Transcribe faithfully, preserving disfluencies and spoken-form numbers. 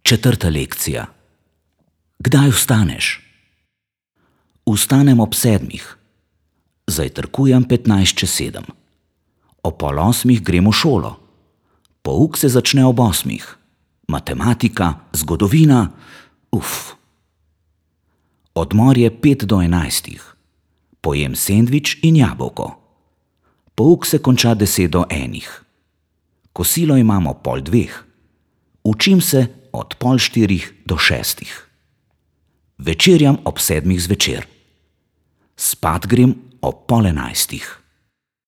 Četrta lekcija. Kdaj vstaneš? Vstanem ob sedmih. Zajtrkujem petnajst čez sedem. O pol osmih grem v šolo. Pouk se začne ob osmih. Matematika, zgodovina, uf. Odmor je pet do enajstih. Pojem sendvič in jabolko. Pouk se konča deset do enih. Kosilo imam ob pol dveh. Učim se od pol štirih do šestih. Večerjam ob sedmih zvečer. Spat grem ob pol enajstih.